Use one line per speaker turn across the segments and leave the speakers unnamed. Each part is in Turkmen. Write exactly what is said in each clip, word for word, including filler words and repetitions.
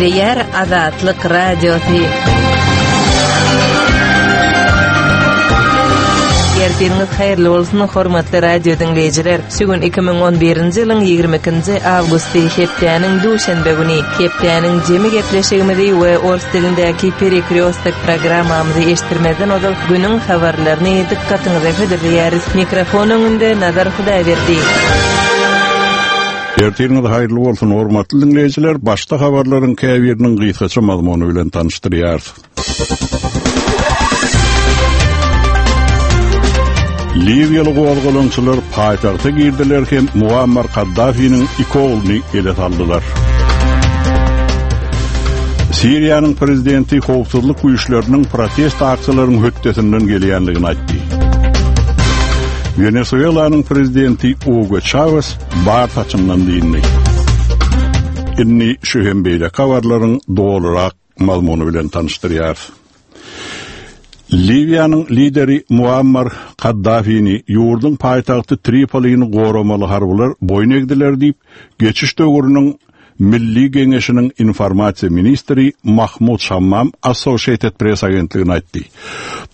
Gepleýär Azatlyk Radiosy. Ertiriňiz haýyrly bolsun, hormatly radio diňleýjiler. Şu gün iki müň on birinji ýylyň ýigrimi ikinji awgusty, hepdäniň duşenbe güni. Hepdäniň jemi gepleşigimizi we ors dilindäki Perekryostok programmamyzy eşitdirmezden ozal günüň habarlaryny dykgatyňyza hödürleýäris. Mikrofon öňünde Nazar Hudaýberdi.
Ertiriňiz haýyrly bolsun, hormatly diňleýjiler. Başda habarlaryň käbiriniň gysgaça mazmuny bilen tanyşdyrýarys. Liwiýaly gozgalaňçylar paýtagta girdiler hem Muammar Kaddafiniň iki ogluny ele saldylar. Siriýanyň prezidenti howpsuzlyk güýçleriniň protest aksiýalaryň hötdesinden gelýändigini aýtdy. Wenesuelanyň prezidenti Hugo Chavez bar saçyndan dindi. Indi şu hem beýle habarlaryň dolurak mazmuny bilen tanyşdyrýarys. Liwiýanyň lideri Muammar Kaddafini ýurduň paýtagty Tripolini goramaly harbylar boýun egdiler diýip, geçiş döwrüniň Milli Geňeşiniň informasiýa ministri Mahmud Şammam Associated Press agentligine aýtdy.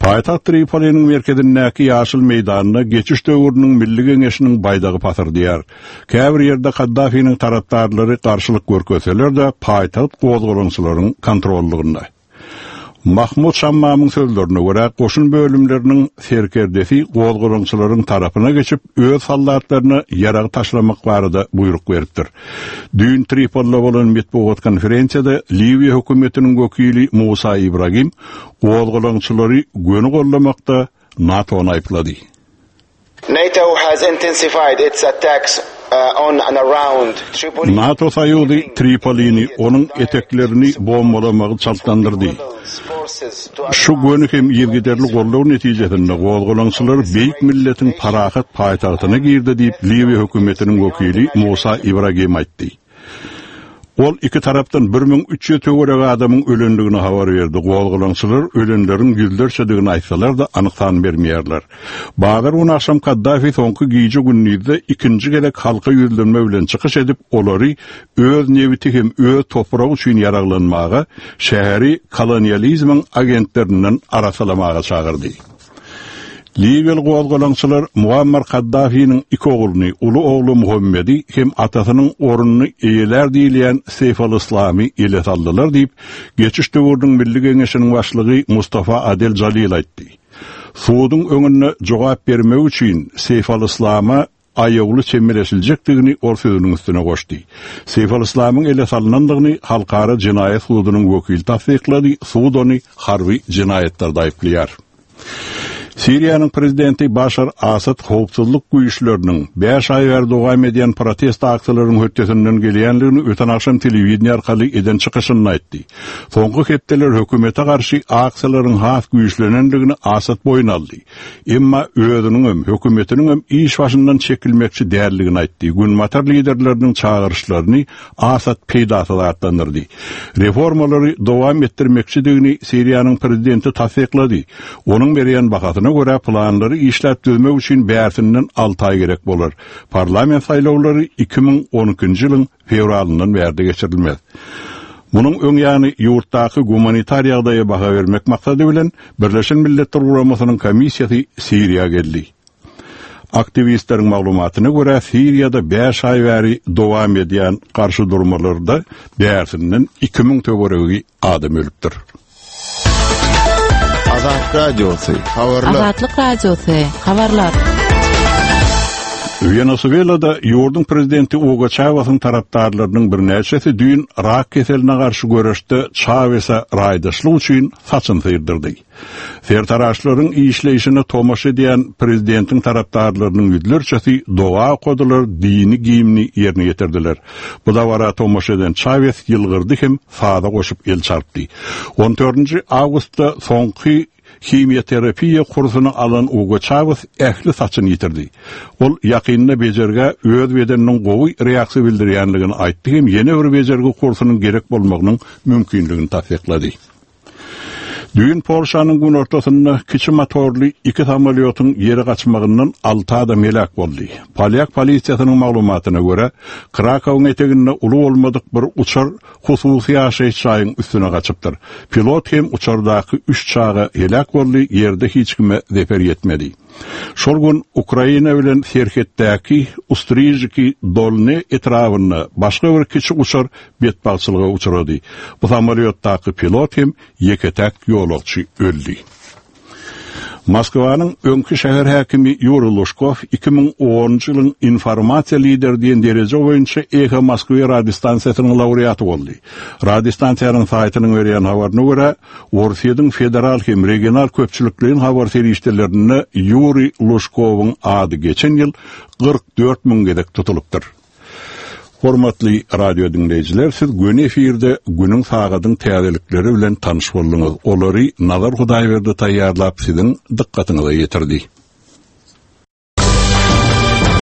Paýtagt Tripoliniň merkezindäki ýaşyl meýdanda geçiş döwrüniň Milli Geňeşiniň baýdagy pasyrdyýar. Käbir ýerde Kaddafiniň tarapdarlary garşylyk görkezseler-de, paýtagt gozgalaňçylaryň kontrollygynda. Mahmud Şammamyň sözlerine görä, goşun bölümleriniň serkerdesi gozgalaňçylaryň tarapyna geçip, öz soldatlaryna ýarag taşlamak barada buýruk beripdir. Düýn Tripolide bolan metbugat konferensiýada Liwiýa hökümetiniň wekili Musa Ibrahim gozgalaňçylary göni gollamakda NATO-ny aýyplady.
NATO has intensified its attacks on and around Tripoli.
NATO soýuzy Tripolini, onuň eteklerini bombalamagy çaltlandyrdy. Şu göni hem yzygiderli goldaw netijesinde gozgalaňçylar beýik milletiň parahat paýtagtyna girdi diýip Liwiýa hökümetiniň wekili Musa Ibrahim aýtdy. Ol iki tarapdan bir müň üç ýüz töweregi adamyň ölendigini habar berdi. Gozgalaňçylar ölenleriň ýüzlerçedigini aýtsalar-da anyk san bermeýärler. Bazar güni akşam Kaddafi soňky gije gündizde ikinji gezek halka ýüzlenme bilen çykyş edip, olary öz nebiti hem öz topragy üçin ýaraglanmaga, şäheri kolonializmiň agentlerinden arasalamaga çagyrdy. Liwiýaly gozgalaňçylar Muammar Kaddafiniň iki ogluny, uly ogly Muhammedi hem atasynyň ornuny eýelär diýilýän Seýf al-Islamy ele saldylar diýip, geçiş döwrüniň Milli Geňeşiniň başlygy Mustafa Adel Jalil aýtdy. Suduň öňünde jogap bermek üçin Seýf al-Islama aýawly çemeleşiljekdigini ol sözüniň üstüne goşdy. Seýf al-Islamyň ele salynandygyny Halkara Jenaýat sudunyň wekili tassyklady, sud ony harby jenaýatlarda aýyplaýar. Siriýanyň prezidenti Başar Asad howpsuzlyk güýçleriniň bäş aý bäri dowam edýän protest aksiýalaryň hötdesinden gelýändigini öten akşam telewideniýe arkaly eden çykyşynda aýtdy. Soňky hepdeler hökümete garşy aksiýalaryň has güýçlenendigini Asad boýun aldy. Emma özüniň hem hökümetiniň hem iş başyndan çekilmekçi däldigini aýtdy. Günbatar liderleriniň çagyryşlaryny Asad peýdasyz atlandyrdy. Reformalary dowam etdirmekçidigini Siriýanyň prezidenti tassyklady. Onuň berýän bahasyna görä planlary işläp düzmek üçin bärsinden alty aý gerek bolar. Parlament saýlawlary iki müň on ikinji ýylyň fewralyndan bärde geçirilmez. Munuň öň ýany ýurtdaky gumanitar ýagdaýa baha bermek maksady bilen Birleşen Milletler Guramasynyň komissiýasy Siriýa geldi. Aktiwistleriň maglumatyna görä Siriýada bäş aý bäri dowam edýän garşy durmalarda bärsinden iki müň töweregi adam ölüpdir.
Azat Radiosy, habarlar.
Azatlyk Radiosy, habarlar.
Wenesuelada ýurduň prezidenti Hugo Chavez'iň tarapdarlarynyň birnäçesi düýn rak keseline garşy göreşde Chavez'e raýdaşlyk üçin saçyn syrdyrdy. Sertaraşlaryň işleýşine tomaşa edýän prezidentiň tarapdarlarynyň ýüzlerçesi doga okadylar, dini giyimini ýerine ýetirdiler. Bu dabara tomaşa eden Chavez ýylgyrdy hem sada goşup el çarpdy. On dördünji awgustda soňky himioterapiýa kursuny alan Hugo Chavez ähli saçyny ýitirdi. Ol ýakynda bejergä öz bedeniniň gowy reaksiýa bildirýänligini aýtdy hem ýene bir bejergi kursunyň gerek bolmagynyň mümkinligini tassyklady. Düýn Polşanyň günortasynda kiçi motorly iki samolýotyň ýere gaçmagyndan alty adam heläk boldy. Polyak polisiýasynyň maglumatyna görä, Krakowyň eteginde uly bolmadyk bir uçar hususy ýaşaýyş jaýyň üstüne gaçypdyr. Pilot hem uçardaky üç çaga heläk boldy, ýerde hiç kime zeper ýetmedi. Şol gün Ukraina bilen serhetdäki Ustrijiki Dolne etrabynda başga bir kiçi uçar betbagtçylyga uçrady. Bu samolýotdaky pilot hem ýeke-täk ýolagçy öldi. Moskwanyň öňki şäher häkimi Ýuri Luşkow iki müň onunjy ýylyň informasiýa lideri diýen dereje boýunça Eho Moskwy radiostansiýasynyň laureaty boldy. Radiostansiýanyň saýtynyň berýän habaryna görä, Orsýetiň federal hem regional köpçülikleýin habar serişdelerinde Ýuri Luşkowyň ady geçen ýyl kyrk dört müň gezek tutulypdyr. Hormatly radio dinleýjiler, siz göni efirde günüň sagadyň täzelikleri bilen tanyş bolduňyz. Olary Nazar Hudaýberdi taýýarlap siziň dykgatyňyza ýetirdi.